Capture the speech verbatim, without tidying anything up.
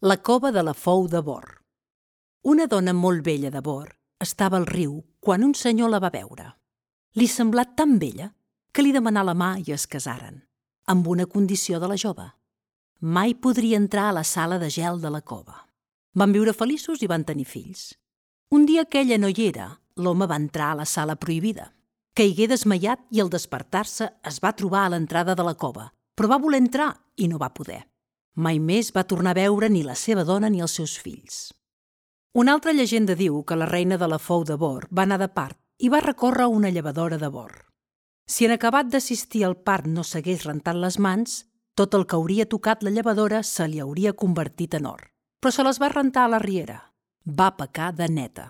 La cova de la Fou de Bor. Una dona molt vella de Bor estava al riu quan un senyor la va veure. Li semblà tan bella que li demanà la mà i es casaren, amb una condició de la jove. Mai podria entrar a la sala de gel de la cova. Van viure feliços i van tenir fills. Un dia que ella no hi era, l'home va entrar a la sala prohibida. Caigué desmaiat i al despertar-se es va trobar a l'entrada de la cova, però va voler entrar i no va poder. Mai més va tornar a veure ni la seva dona ni els seus fills. Una altra llegenda diu que la reina de la Fou de Bor va anar de part i va recórrer una llevadora de Bor. Si en acabat d'assistir al part no s'hagués rentat les mans, tot el que hauria tocat la llevadora se li hauria convertit en or. Però se les va rentar a la riera. Va pecar de neta.